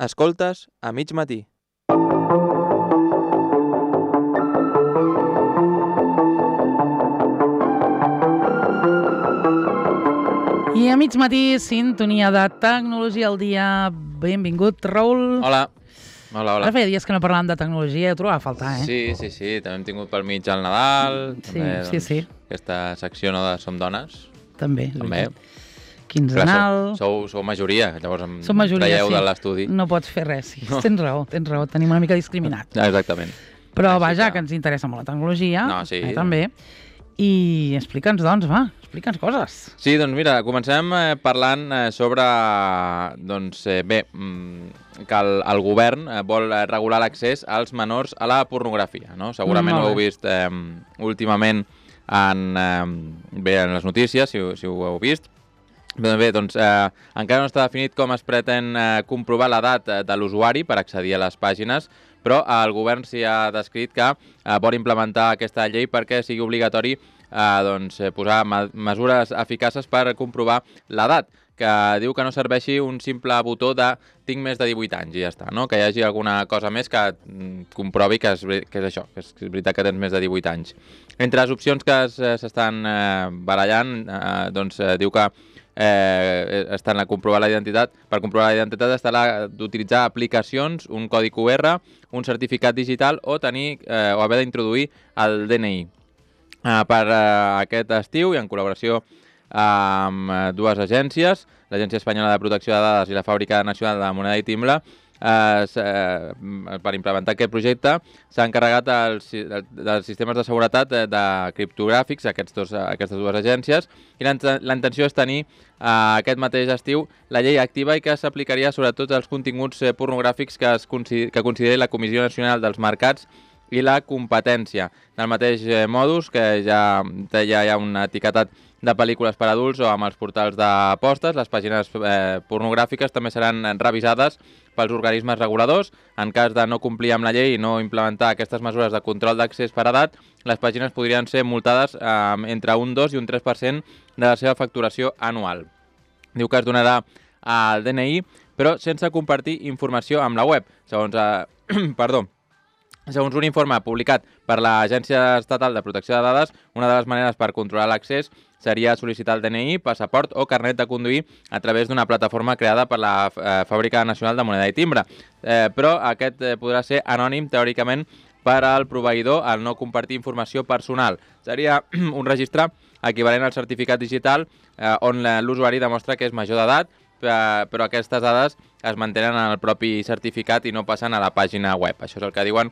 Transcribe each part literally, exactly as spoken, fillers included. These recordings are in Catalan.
Escoltes a mig matí. I a mig matí, sintonia de tecnologia al dia. Benvingut, Raül. Hola. Hola, hola. Ara feia dies que no parlàvem de tecnologia, ho trobava a faltar, eh? Sí, sí, sí. També hem tingut pel mig el Nadal. Sí, també, sí, doncs, sí. Aquesta secció no de Som Dones. També, és També. veritat. Quinzenal. Sou, sou majoria, llavors em Som majoria, traieu sí. de l'estudi. No pots fer res, sí. No. Tens raó, tens raó. Tenim una mica discriminat. Ah, exactament. Però Així vaja, que- que ens interessa molt la tecnologia. No, sí. Eh, també. I explica'ns, doncs, va, explica'ns coses. Sí, doncs mira, comencem eh, parlant eh, sobre, doncs, eh, bé, mm, que el, el govern eh, vol eh, regular l'accés als menors a la pornografia, no? Segurament Molt ho heu bé. vist eh, últimament en, eh, bé, en les notícies, si, ho- si ho heu vist. Bé, bé, doncs eh, encara no està definit com es pretén eh, comprovar l'edat eh, de l'usuari per accedir a les pàgines, però eh, el govern s'hi ha descrit que eh, vol implementar aquesta llei perquè sigui obligatori eh, doncs, eh, posar me mesures eficaces per comprovar l'edat, que diu que no serveixi un simple botó de tinc més de divuit anys i ja està, no? Que hi hagi alguna cosa més que mm, comprovi que és, veri- que és això, que és, que és veritat que tens més de divuit anys. Entre les opcions que es- eh, s'estan eh, barallant, eh, doncs eh, diu que eh, estan a comprovar la identitat. Per comprovar la identitat està la d'utilitzar aplicacions, un codi Q R, un certificat digital o tenir eh, o haver d'introduir el D N I. Uh, per uh, aquest estiu i en col·laboració amb uh, dues agències, l'Agència Espanyola de Protecció de Dades i la Fàbrica Nacional de Moneda i Timbre, uh, uh, per implementar aquest projecte s'ha encarregat els, dels sistemes de seguretat de, de criptogràfics, aquests dos, aquestes dues agències, i la intenció és tenir uh, aquest mateix estiu la llei activa i que s'aplicaria sobretot als continguts uh, pornogràfics que, es consideri, que consideri la Comissió Nacional dels Mercats i la competència. Del mateix eh, modus, que ja, ja hi ha un etiquetat de pel·lícules per adults o amb els portals d'apostes, les pàgines eh, pornogràfiques també seran revisades pels organismes reguladors. En cas de no complir amb la llei i no implementar aquestes mesures de control d'accés per edat, les pàgines podrien ser multades eh, entre un dos i un tres per cent de la seva facturació anual. Diu que es donarà al D N I, però sense compartir informació amb la web. Segons, eh, perdó, Segons un informe publicat per l'Agència Estatal de Protecció de Dades, una de les maneres per controlar l'accés seria sol·licitar el D N I, passaport o carnet de conduir a través d'una plataforma creada per la eh, Fàbrica Nacional de Moneda i Timbre. Eh, però aquest eh, podrà ser anònim, teòricament, per al proveïdor al no compartir informació personal. Seria un registre equivalent al certificat digital eh, on l'usuari demostra que és major d'edat, eh, però aquestes dades es mantenen en el propi certificat i no passen a la pàgina web. Això és el que diuen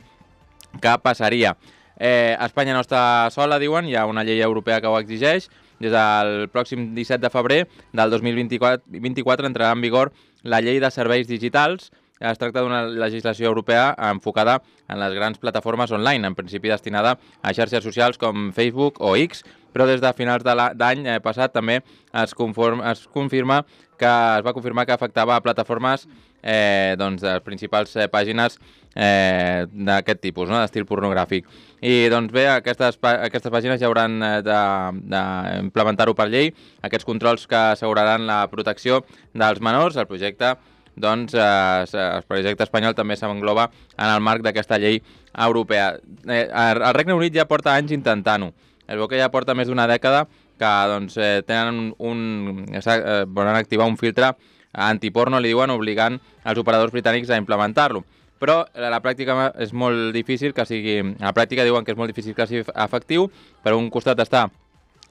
que passaria. Eh, Espanya no està sola, diuen, hi ha una llei europea que ho exigeix. Des del pròxim disset de febrer del dos mil vint-i-quatre entrarà en vigor la llei de serveis digitals. Es tracta d'una legislació europea enfocada en les grans plataformes online, en principi destinada a xarxes socials com Facebook o X, però des de finals de l'any passat també es, conform, es confirma que es va confirmar que afectava a plataformes eh, doncs, de les principals eh, pàgines eh, d'aquest tipus, no? D'estil pornogràfic. I doncs bé, aquestes, aquestes pàgines ja hauran d'implementar-ho per llei, aquests controls que asseguraran la protecció dels menors. El projecte doncs eh, el projecte espanyol també s'engloba en el marc d'aquesta llei europea. Eh, el Regne Unit ja porta anys intentant-ho. Es veu que ja porta més d'una dècada que doncs, eh, tenen un, eh, volen activar un filtre antiporno, li diuen, obligant els operadors britànics a implementar-lo. Però a la pràctica és molt difícil que sigui... A la pràctica diuen que és molt difícil que sigui efectiu. Per un costat està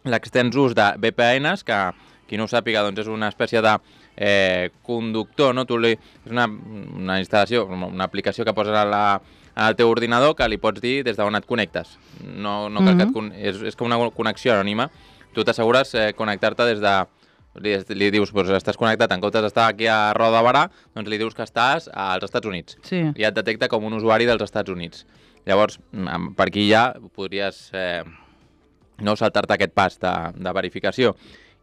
l'extens ús de V P Ns, que qui no ho sàpiga doncs és una espècie de eh, conductor, no? Tu li, és una, una instal·lació, una aplicació que poses a la, al teu ordinador que li pots dir des d'on et connectes. No, no cal mm-hmm. que et, és, és com una connexió anònima. Tu t'assegures eh, connectar-te des de... Li, li dius, doncs estàs connectat, en comptes d'estar aquí a Roda de Barà, doncs li dius que estàs als Estats Units. Sí. I et detecta com un usuari dels Estats Units. Llavors, per aquí ja podries eh, no saltar-te aquest pas de, de verificació.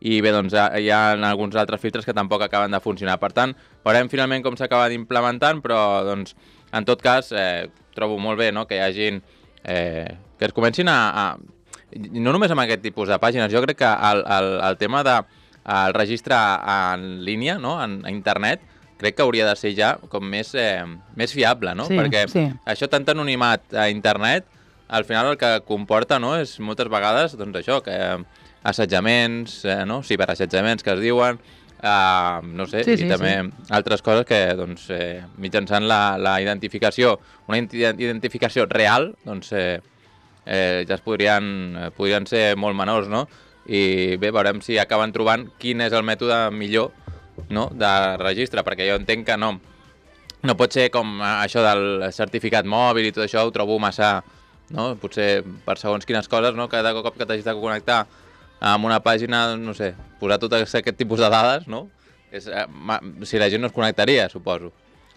I bé, doncs hi ha alguns altres filtres que tampoc acaben de funcionar. Per tant, veurem finalment com s'acaba d'implementant, però doncs, en tot cas, eh, trobo molt bé, no?, que hi hagin... Eh, que es comencin a, a... No només amb aquest tipus de pàgines, jo crec que el, el, el tema de el registre en línia, no?, en, a internet, crec que hauria de ser ja com més, eh, més fiable, no? Sí, Perquè sí. això tant anonimat a internet, al final el que comporta, no?, és moltes vegades, doncs això, que assetjaments, eh, no?, ciberassetjaments que es diuen, eh, no sé, Sí, i sí, també sí. altres coses que, doncs, eh, mitjançant la, la identificació, una identificació real, doncs, eh, eh, ja es podrien, eh, podrien ser molt menors, no? I bé, veurem si acaben trobant quin és el mètode millor, no?, de registre, perquè jo entenc que no, no pot ser com això del certificat mòbil i tot això, ho trobo massa, no?, potser per segons quines coses, no?, cada cop que t'hagis de connectar amb una pàgina, no sé, posar tot aquest tipus de dades, no?, és, eh, ma, si la gent no es connectaria, suposo.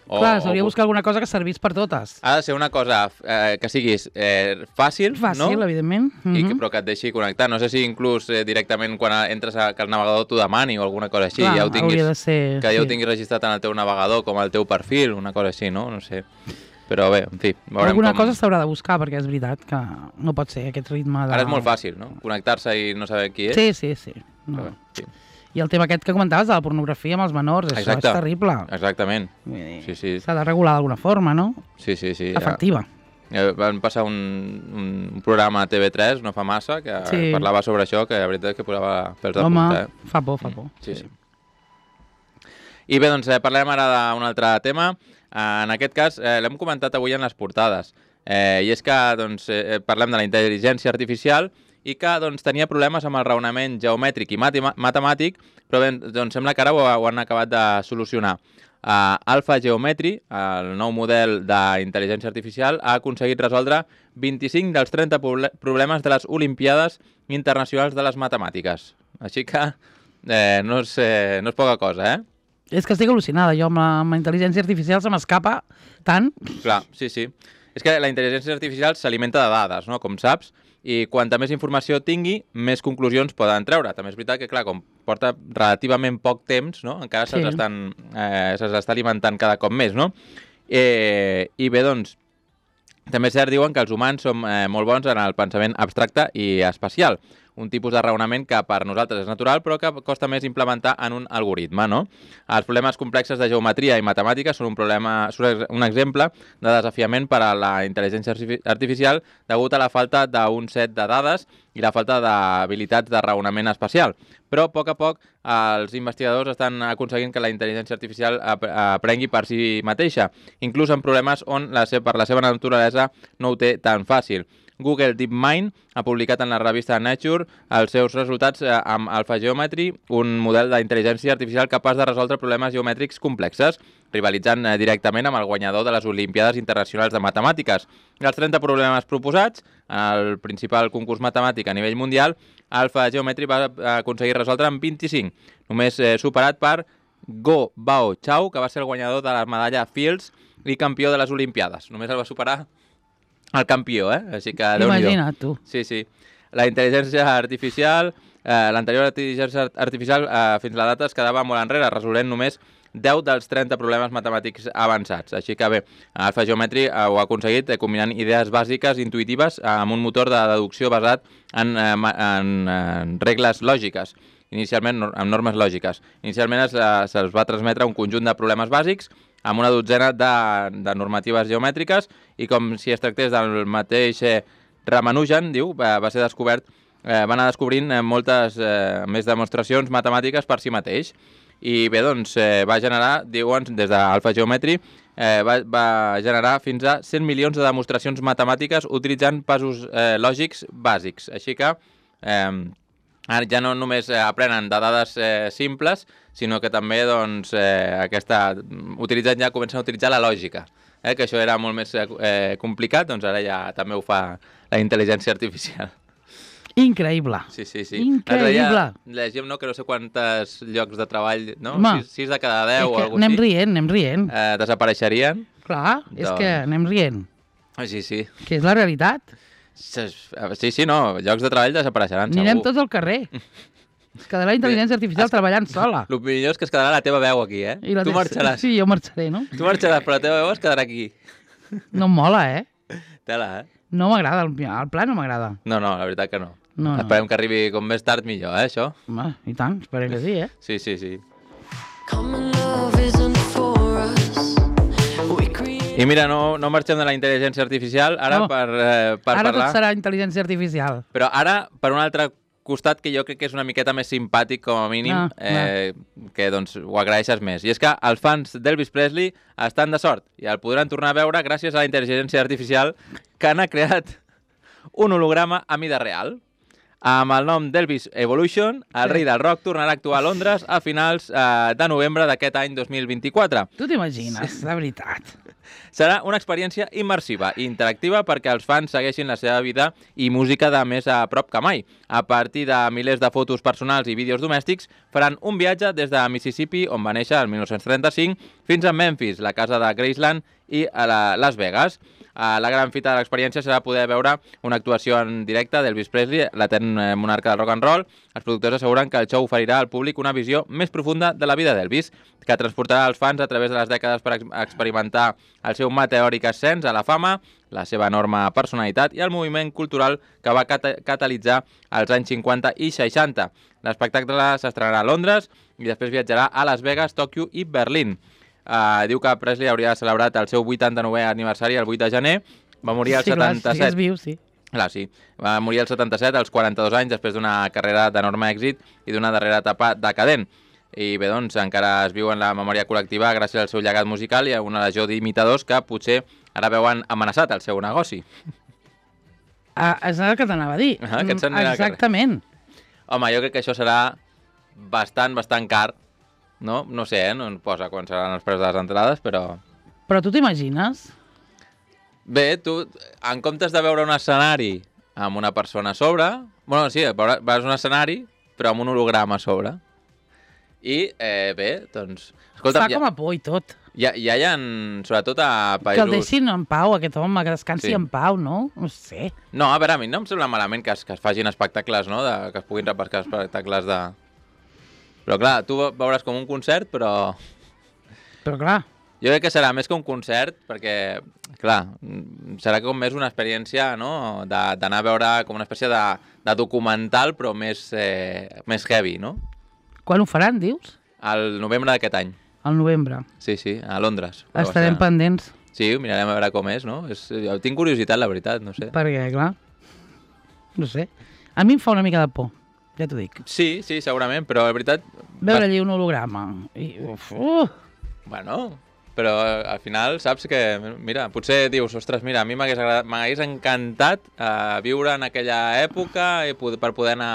O, Clar, s'hauria de o, buscar alguna cosa que servís per totes. ha de ser una cosa eh, que siguis eh, fàcil, Fàcil, no? evidentment. I que, Mhm. però que et deixi connectar. No sé si inclús eh, directament quan entres a, que el navegador t'ho demani o alguna cosa així, Clar, ja ho tinguis, hauria de ser, que ja sí. ho tinguis registrat en el teu navegador com el teu perfil, una cosa així, no? No sé. Però bé, en fi, veurem Alguna com... cosa s'haurà de buscar, perquè és veritat que no pot ser aquest ritme de... Ara és molt fàcil, no? Connectar-se i no saber qui és. Sí, sí, sí. No. Però bé, sí. I el tema aquest que comentaves de la pornografia amb els menors, això Exacte. és terrible. Exactament. Vull dir, Sí, sí. s'ha de regular d'alguna forma, no? Sí, sí, sí. Efectiva. Ja, van passar un, un programa a T V tres no fa massa que Sí. parlava sobre això, que la veritat és que posava pels de Home, punta, eh? fa por, fa por. Sí, sí. I bé, doncs eh, parlem ara d'un altre tema. Eh, en aquest cas, eh, l'hem comentat avui en les portades. Eh, I és que doncs, eh, parlem de la intel·ligència artificial i que doncs, tenia problemes amb el raonament geomètric i matem matemàtic, però bé, doncs, sembla que ara ho, ho han acabat de solucionar. Uh, Alpha Geometry, el nou model d'intel·ligència artificial, ha aconseguit resoldre vint-i-cinc dels trenta problemes de les Olimpiades Internacionals de les Matemàtiques. Així que eh, no, és, eh, no és poca cosa, eh? És que estic al·lucinada, jo amb la, amb la intel·ligència artificial se m'escapa tant. Clar, sí, sí. És que la intel·ligència artificial s'alimenta de dades, no?, com saps, i quanta més informació tingui, més conclusions poden treure. També és veritat que, clar, com porta relativament poc temps, no?, encara Sí. se'ls estan, eh, se'ls està alimentant cada cop més, no? Eh, I bé, doncs, també és cert, diuen que els humans som eh, molt bons en el pensament abstracte i espacial, un tipus de raonament que per nosaltres és natural però que costa més implementar en un algoritme, no? Els problemes complexes de geometria i matemàtica són un, problema, són un exemple de desafiament per a la intel·ligència artificial degut a la falta d'un set de dades i la falta d'habilitats de raonament espacial. Però a poc a poc els investigadors estan aconseguint que la intel·ligència artificial ap aprengui per si mateixa, inclús en problemes on la per la seva naturalesa no ho té tan fàcil. Google DeepMind ha publicat en la revista Nature els seus resultats eh, amb AlphaGeometry, un model d'intel·ligència artificial capaç de resoldre problemes geomètrics complexes, rivalitzant eh, directament amb el guanyador de les Olimpiades Internacionals de Matemàtiques. Dels trenta problemes proposats, en el principal concurs matemàtic a nivell mundial, AlphaGeometry va aconseguir resoldre en vint-i-cinc, només eh, superat per Go Bao Chao, que va ser el guanyador de la medalla Fields i campió de les Olimpiades. Només el va superar el campió, eh? Així que Déu-n'hi-do. Imagina't, tu. Sí, sí. La intel·ligència artificial, eh, l'anterior intel·ligència artificial eh, fins a la data es quedava molt enrere, resolent només deu dels trenta problemes matemàtics avançats. Així que bé, AlphaGeometry eh, ho ha aconseguit eh, combinant idees bàsiques, intuïtives, eh, amb un motor de deducció basat en, eh, en, en regles lògiques, inicialment amb normes lògiques. Inicialment es, eh, se'ls va transmetre un conjunt de problemes bàsics amb una dotzena de, de normatives geomètriques i com si es tractés del mateix eh, Ramanujan, diu, va, va ser descobert, eh, va anar descobrint eh, moltes eh, més demostracions matemàtiques per si mateix. I bé, doncs, eh, va generar, diuen, des d'AlphaGeometry, eh, va, va generar fins a cent milions de demostracions matemàtiques utilitzant passos eh, lògics bàsics. Així que eh, ara ja no només eh, aprenen de dades eh, simples, sinó que també doncs, eh, aquesta, utilitzant ja comencen a utilitzar la lògica, eh, que això era molt més eh, complicat, doncs ara ja també ho fa la intel·ligència artificial. Increïble. Sí, sí, sí. Increïble. Llegim, no?, que no sé quants llocs de treball, no? Home, sis, sis de cada deu o alguna anem així. rient, anem rient. Eh, desapareixerien. Clar, és doncs- que anem rient. Sí, sí. Que és la realitat. Sí, sí, no, llocs de treball desapareixeran, segur. Anirem tots al carrer. Es quedarà la intel·ligència artificial es- treballant sola. El millor és que es quedarà la teva veu aquí, eh? I la Tu te- marxaràs. Sí, jo marxaré, no? Tu marxaràs, però la teva veu es quedarà aquí. No em mola, eh? Tela, eh? No m'agrada, el, el pla no m'agrada. No, no, la veritat que no. No, no. Esperem que arribi com més tard millor, eh, això? Home, i tant, esperem que sí, eh? Sí, sí, sí. Common love isn't for I mira, no, no marxem de la intel·ligència artificial, ara no. per, eh, per ara parlar... Ara tot serà intel·ligència artificial. Però ara, per un altre costat que jo crec que és una miqueta més simpàtic, com a mínim, no, eh, no. que doncs, ho agraeixes més. I és que els fans d'Elvis Presley estan de sort i el podran tornar a veure gràcies a la intel·ligència artificial que n'ha creat un holograma a mida real. Amb el nom d'Elvis Evolution, el sí. rei del rock tornarà a actuar a Londres a finals eh, de novembre d'aquest any dos mil vint-i-quatre. Tu t'imagines, sí. de veritat. Serà una experiència immersiva i interactiva perquè els fans segueixin la seva vida i música de més a prop que mai. A partir de milers de fotos personals i vídeos domèstics, faran un viatge des de Mississippi, on va néixer el mil nou-cents trenta-cinc, fins a Memphis, la casa de Graceland, i a la Las Vegas. La gran fita de l'experiència serà poder veure una actuació en directe d'Elvis Presley, l'etern monarca del rock and roll. Els productors asseguren que el show oferirà al públic una visió més profunda de la vida d'Elvis, que transportarà els fans a través de les dècades per experimentar el seu meteòric ascens a la fama, la seva enorme personalitat i el moviment cultural que va cat catalitzar als anys cinquanta i seixanta. L'espectacle s'estrenarà a Londres i després viatjarà a Las Vegas, Tòquio i Berlín. Uh, diu que Presley hauria celebrat el seu vuitanta-novè aniversari el vuit de gener, va morir al sí, setanta-set. Clar, sí, és viu, sí. Clar, sí. Va morir al setanta-set, als quaranta-dos anys, després d'una carrera d'enorme èxit i d'una darrera etapa decadent. I bé, doncs, encara es viu en la memòria col·lectiva gràcies al seu llegat musical i a una legió d'imitadors que potser ara veuen amenaçat el seu negoci. Ah, és el que t'anava a dir. Ah, que exactament. Home, jo crec que això serà bastant, bastant car. No, no sé, eh? No em posa quan seran els preus de les entrades, però... Però tu t'imagines? Bé, tu, en comptes de veure un escenari amb una persona a sobre... Bueno, sí, veus un escenari, però amb un holograma a sobre. I, eh, bé, doncs... Escolta, fa com a por i tot. Ja, ja hi ha, sobretot a països... Que el deixin en pau, aquest home, que descansi sí. en pau, no? No sé. No, a veure, a mi no em sembla malament que es, que es facin espectacles, no? De, que es puguin repescar espectacles de... Però clar, tu veuràs com un concert, però... Però clar... Jo crec que serà més que un concert, perquè, clar, serà com més una experiència, no?, d'anar a veure com una espècie de, de documental, però més, eh, més heavy, no? Quan ho faran, dius? Al novembre d'aquest any. Al novembre. Sí, sí, a Londres. Estarem pendents. Sí, mirarem a veure com és, no? És, jo tinc curiositat, la veritat, no sé. Perquè, clar, no sé. A mi em fa una mica de por. Ja t'ho dic. Sí, sí, segurament, però la veritat... Veure allí un holograma. I, uf, uh. Bueno, però al final saps que, mira, potser dius, ostres, mira, a mi m'hagués encantat uh, viure en aquella època i per poder anar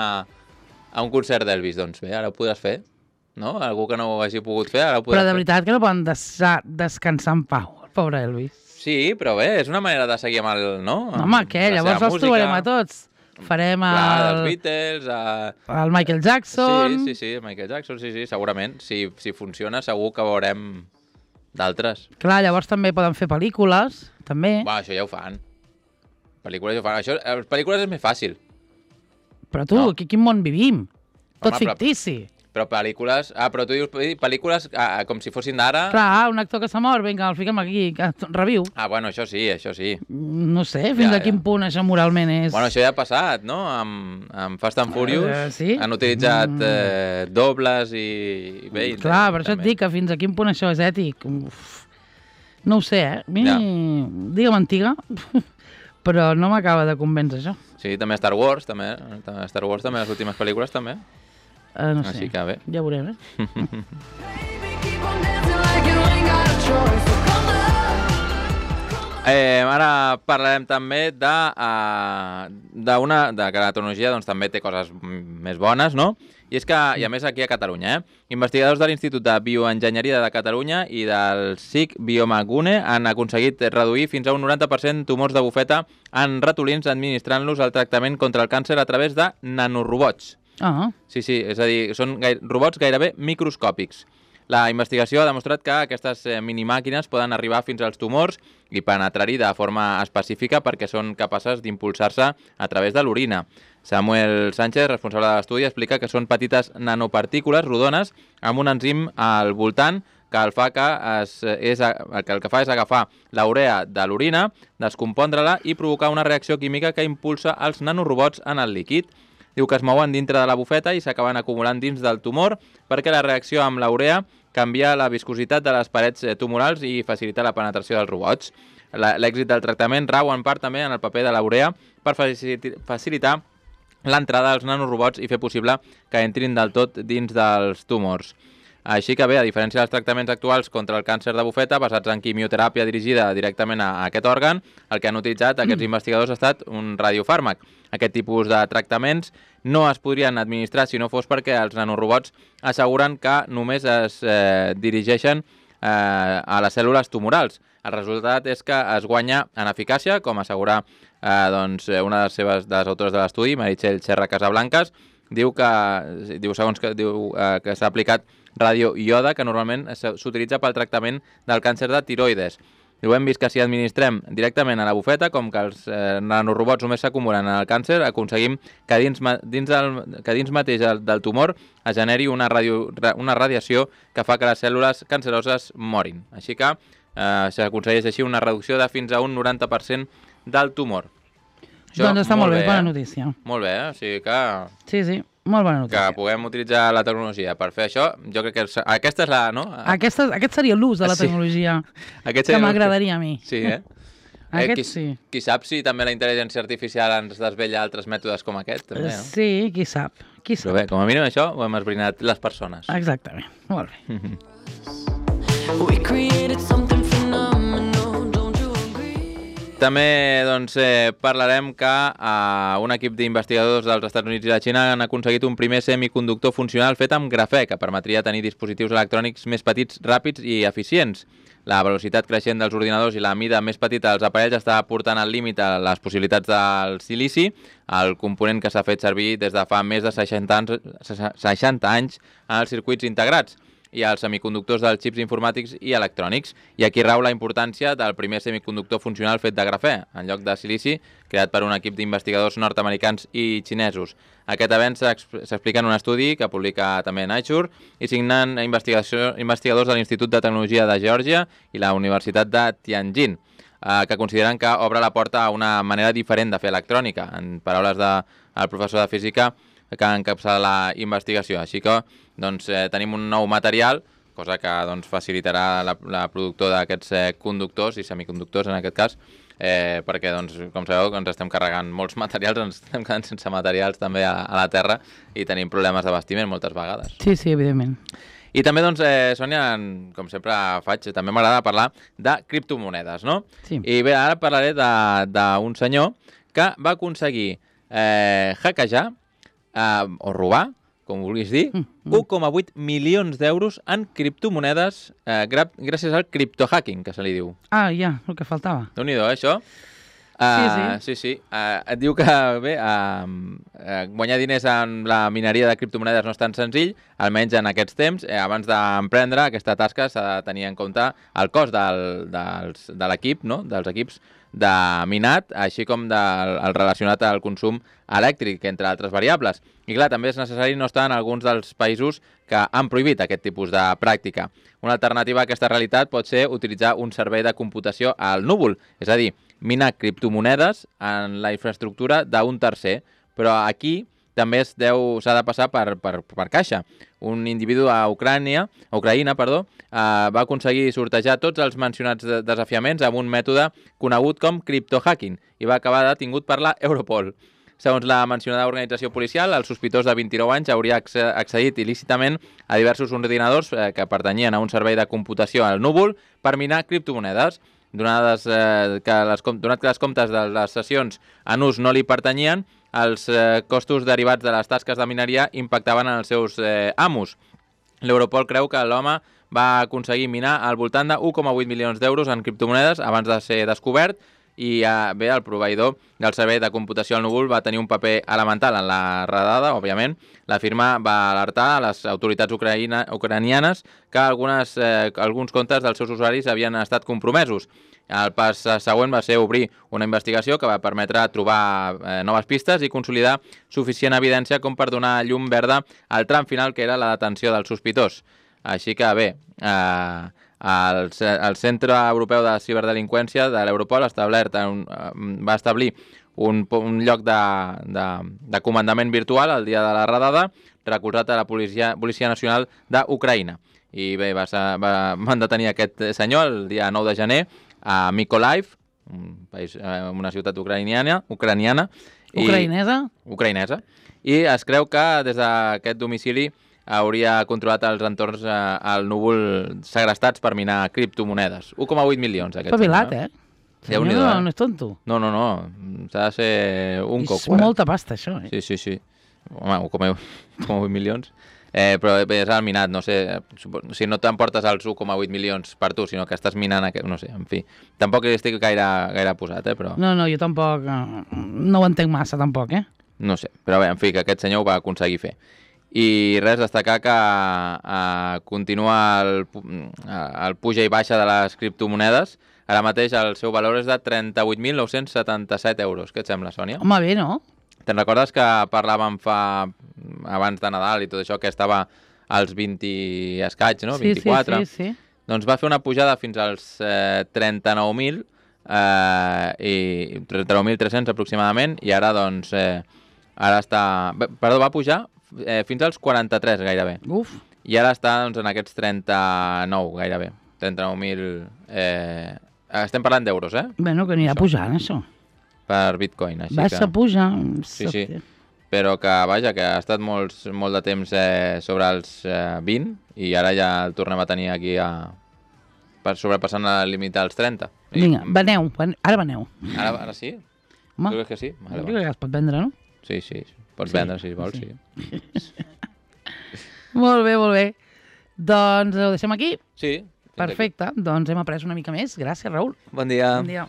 a un concert d'Elvis. Doncs bé, ara ho podràs fer, no? Algú que no ho hagi pogut fer, ara ho podràs fer. Però de veritat que no poden descansar en pau, el pobre Elvis. Sí, però bé, és una manera de seguir amb el, no? No, home, què? Llavors els trobarem a tots. Farem el... Clar, els Beatles... A... El Michael Jackson... Sí, sí, sí, Michael Jackson, sí, sí, segurament. Si, si funciona, segur que veurem d'altres. Clar, llavors també poden fer pel·lícules, també. Bueno, això ja ho fan. Pel·lícules ja ho fan. Això, les pel·lícules és més fàcil. Però tu, no. Aquí quin món vivim? Tot Home, fictici. Però, però pel·lícules... Ah, però tu dius pel·lícules ah, com si fossin d'ara... Clar, un actor que s'ha mort, vinga, el fiquem aquí, que reviu. Ah, bueno, això sí, això sí. No sé, fins ja, a quin ja. punt això moralment és... Bueno, això ja ha passat, no? Amb, amb Fast and Furious uh, sí? han utilitzat eh, dobles i... Bé, clar, per això et dic que fins a quin punt això és ètic. Uf. No ho sé, eh? A mi, ja. Digue'm antiga, però no m'acaba de convèncer això. Sí, també Star Wars, també. Star Wars també, les últimes pel·lícules també. Uh, no sé, Així que bé. Ja veurem, eh? eh ara parlarem també de, uh, d'una, de que la tecnologia doncs, també té coses més bones, no? I és que, i a més aquí a Catalunya, eh? Investigadors de l'Institut de Bioenginyeria de Catalunya i del S I C Biomagune han aconseguit reduir fins a un noranta per cent tumors de bufeta en ratolins administrant-los el tractament contra el càncer a través de nanorobots. Ah. Sí, sí, és a dir, són gaire, robots gairebé microscòpics. La investigació ha demostrat que aquestes eh, minimàquines poden arribar fins als tumors i penetrar-hi de forma específica perquè són capaces d'impulsar-se a través de l'orina. Samuel Sánchez, responsable de l'estudi, explica que són petites nanopartícules rodones amb un enzim al voltant que el, fa que, es, és, que el que fa és agafar la urea de l'orina, descompondre-la i provocar una reacció química que impulsa els nanorobots en el líquid. Diu que es mouen dintre de la bufeta i s'acaben acumulant dins del tumor perquè la reacció amb la urea canviar la viscositat de les parets tumorals i facilitar la penetració dels robots. L'èxit del tractament rau en part també en el paper de la urea per facilitar l'entrada dels nanorobots i fer possible que entrin del tot dins dels tumors. Així que bé, a diferència dels tractaments actuals contra el càncer de bufeta, basats en quimioteràpia dirigida directament a aquest òrgan, el que han utilitzat aquests investigadors ha estat un radiofàrmac. Aquest tipus de tractaments no es podrien administrar si no fos perquè els nanorobots asseguren que només es eh, dirigeixen eh, a les cèl·lules tumorals. El resultat és que es guanya en eficàcia, com assegura eh, doncs, una de les, seves, de les autores de l'estudi, Meritxell Serra Casablancas, diu que, diu, segons que, diu, eh, que s'ha aplicat radioiode, que normalment s'utilitza pel tractament del càncer de tiroides. Diu, hem vist que si administrem directament a la bufeta, com que els eh, nanorobots només s'acumulen en el càncer, aconseguim que dins, dins, del, que dins mateix del, del tumor es generi una, radio, una radiació que fa que les cèl·lules canceroses morin. Així que eh, s'aconsegueix així una reducció de fins a un noranta per cent del tumor. Això, doncs està molt, molt bé, bé, bona notícia. Molt bé, eh? O sigui que... Sí, sí, molt bona notícia. Que puguem utilitzar la tecnologia per fer això, jo crec que aquesta és la... No? Aquesta, aquest seria l'ús de la tecnologia sí. que m'agradaria a mi. Sí, eh? Aquest eh, qui, sí. Qui sap si també la intel·ligència artificial ens desvella altres mètodes com aquest, també, no? Sí, qui sap. Qui sap. Però bé, com a mínim això ho hem esbrinat les persones. Exactament, molt bé. We created something phenomenal. També doncs, eh, parlarem que eh, un equip d'investigadors dels Estats Units i la Xina han aconseguit un primer semiconductor funcional fet amb grafè, que permetria tenir dispositius electrònics més petits, ràpids i eficients. La velocitat creixent dels ordinadors i la mida més petita dels aparells està portant al límit a les possibilitats del silici, el component que s'ha fet servir des de fa més de seixanta anys, seixanta anys en els circuits integrats i els semiconductors dels xips informàtics i electrònics. I aquí rau la importància del primer semiconductor funcional fet de grafè, en lloc de silici, creat per un equip d'investigadors nord-americans i xinesos. Aquest avenç s'explica en un estudi que publica també Nature i signen investigadors de l'Institut de Tecnologia de Geòrgia i la Universitat de Tianjin, que consideren que obre la porta a una manera diferent de fer electrònica, en paraules del professor de física que encapçala la investigació. Així que doncs, eh, tenim un nou material, cosa que doncs, facilitarà la, la productor d'aquests eh, conductors i semiconductors en aquest cas, eh, perquè, doncs, com sabeu, ens estem carregant molts materials, ens estem quedant sense materials també a, a la Terra i tenim problemes d'abastiment moltes vegades. Sí, sí, evidentment. I també, doncs, eh, Sònia, com sempre faig, també m'agrada parlar de criptomonedes, no? Sí. I bé, ara parlaré d'un senyor que va aconseguir eh, hackejar Uh, o robar, com vulguis dir, mm, mm. un coma vuit milions d'euros en criptomonedes uh, gràcies al criptohacking, que se li diu. Ah, ja, el que faltava. Déu-n'hi-do, eh, això? Uh, sí, sí. Sí, sí. Uh, et diu que, bé, uh, uh, guanyar diners en la mineria de criptomonedes no és tan senzill, almenys en aquests temps. Eh, abans d'emprendre aquesta tasca s'ha de tenir en compte el cost del, dels, de l'equip, no?, dels equips de minat, així com del, el relacionat al consum elèctric, entre altres variables. I clar, també és necessari no estar en alguns dels països que han prohibit aquest tipus de pràctica. Una alternativa a aquesta realitat pot ser utilitzar un servei de computació al núvol, és a dir, minar criptomonedes en la infraestructura d'un tercer, però aquí també s'ha de passar per, per, per caixa. Un individu a Ucrània, a Ucraïna perdó, eh, va aconseguir sortejar tots els mencionats de desafiaments amb un mètode conegut com criptohacking i va acabar detingut per la Europol. Segons la mencionada organització policial, el sospitós de vint-i-nou anys hauria accedit il·lícitament a diversos ordinadors eh, que pertanyien a un servei de computació al núvol per minar criptomonedes. Donades, eh, que les, donat que les comptes de les sessions en ús no li pertanyien, els eh, costos derivats de les tasques de mineria impactaven en els seus eh, amos. L'Europol creu que l'home va aconseguir minar al voltant de un coma vuit milions d'euros en criptomonedes abans de ser descobert i eh, bé, el proveïdor del servei de computació al núvol va tenir un paper elemental en la redada, òbviament. La firma va alertar a les autoritats ucraïna, ucranianes que algunes, eh, alguns comptes dels seus usuaris havien estat compromesos. El pas següent va ser obrir una investigació que va permetre trobar eh, noves pistes i consolidar suficient evidència com per donar llum verda al tram final, que era la detenció del sospitós. Així que bé, eh, el, el Centre Europeu de Ciberdelinqüència de l'Europol establert un, va establir un, un lloc de, de, de comandament virtual el dia de la redada, recolzat a la Policia, Policia Nacional d'Ucraïna. I bé, va, ser- va, van detenir aquest senyor el dia nou de gener a Mykolaiv, un país, eh, una ciutat ucraniana, ucraniana i, Ucraïnesa? ucraïnesa, i es creu que des d'aquest domicili hauria controlat els entorns eh, al núvol segrestats per minar criptomonedes. un coma vuit milions, aquest Espavilat, senyor. eh? Déu-n'hi-do, no, eh? no és tonto. No, no, no, s'ha de ser un És coco. eh? molta pasta, això, eh? Sí, sí, sí. Home, un coma vuit milions. Eh, però bé, és el minat, no sé, supo- si no t'emportes els un coma vuit milions per tu, sinó que estàs minant, aquest, no sé, en fi. Tampoc hi estic gaire, gaire posat, eh, però No, no, jo tampoc... eh, No ho entenc massa, tampoc, eh? no sé. Però bé, en fi, que aquest senyor ho va aconseguir fer. I res, destacar que eh, continua el, pu- eh, el puja i baixa de les criptomonedes. Ara mateix el seu valor és de trenta-vuit mil nou-cents setanta-set euros. Què et sembla, Sònia? Home, bé, no? Te'n recordes que parlàvem fa abans de Nadal i tot això, que estava als vint i escaig, no? Sí, vint-i-quatre. sí, sí, sí. Doncs va fer una pujada fins als eh, trenta-nou mil eh, i trenta-nou mil tres-cents aproximadament, i ara doncs eh, ara està... bé, Perdó, va pujar eh, fins als quaranta-tres gairebé. Uf, I ara està doncs, en aquests trenta-nou gairebé. trenta-nou mil... Eh, estem parlant d'euros, eh? bueno, que anirà Això. pujant, això. Per bitcoin, així Vas que... a pujar. Sí, sí. Però que, vaja, que ha estat molts, molt de temps eh, sobre els eh, vint i ara ja el tornem a tenir aquí a... per sobrepassant el límit dels trenta. I- Vinga, veneu, ven- ara veneu. Ara, ara sí? Home, Tu creus que sí? Vale, jo va. crec que es pot vendre, no? Sí, sí, sí. Pots Sí, vendre si vols, sí. sí. Molt bé, molt bé. Doncs ho deixem aquí. Sí. fins aquí. Perfecte. Doncs hem après una mica més. Gràcies, Raül. Bon dia. Bon dia.